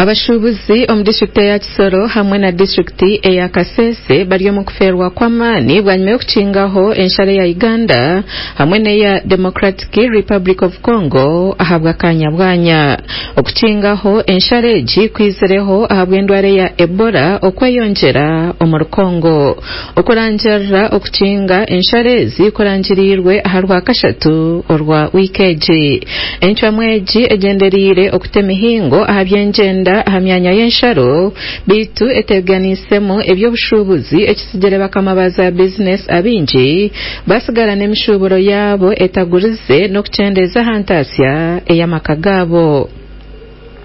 Abashuubuzi omu disiturikiti eya Kisoro hamwe na disiturikiti eya Kasese bari omu kufeerwa kw'amaani bwanyima y'okukingaho ensharo ya Uganda hamwe n'eya Democratic Republic of Congo ahabw'akaanya bwanya. Okukingaho ensharo egi kwizireho ahabw'endwara eya Ebola okweyongyera omuri Congo. Okurangirira okukinga ensharo ezi kurangiriirwe aha Rwakashatu orwa wiiki egi. Encwamu egi egyendereire okuta emihingo aha by'engyenda aha myanya y'ensharo beitu eteganiisemu eby'obushuubuzi ekitsigire bakama ba za bizinesi abaingi basigara n'emishuuburo yaabo etagurize n'okukyendeeza aha ntaasya ey'amaka gaabo.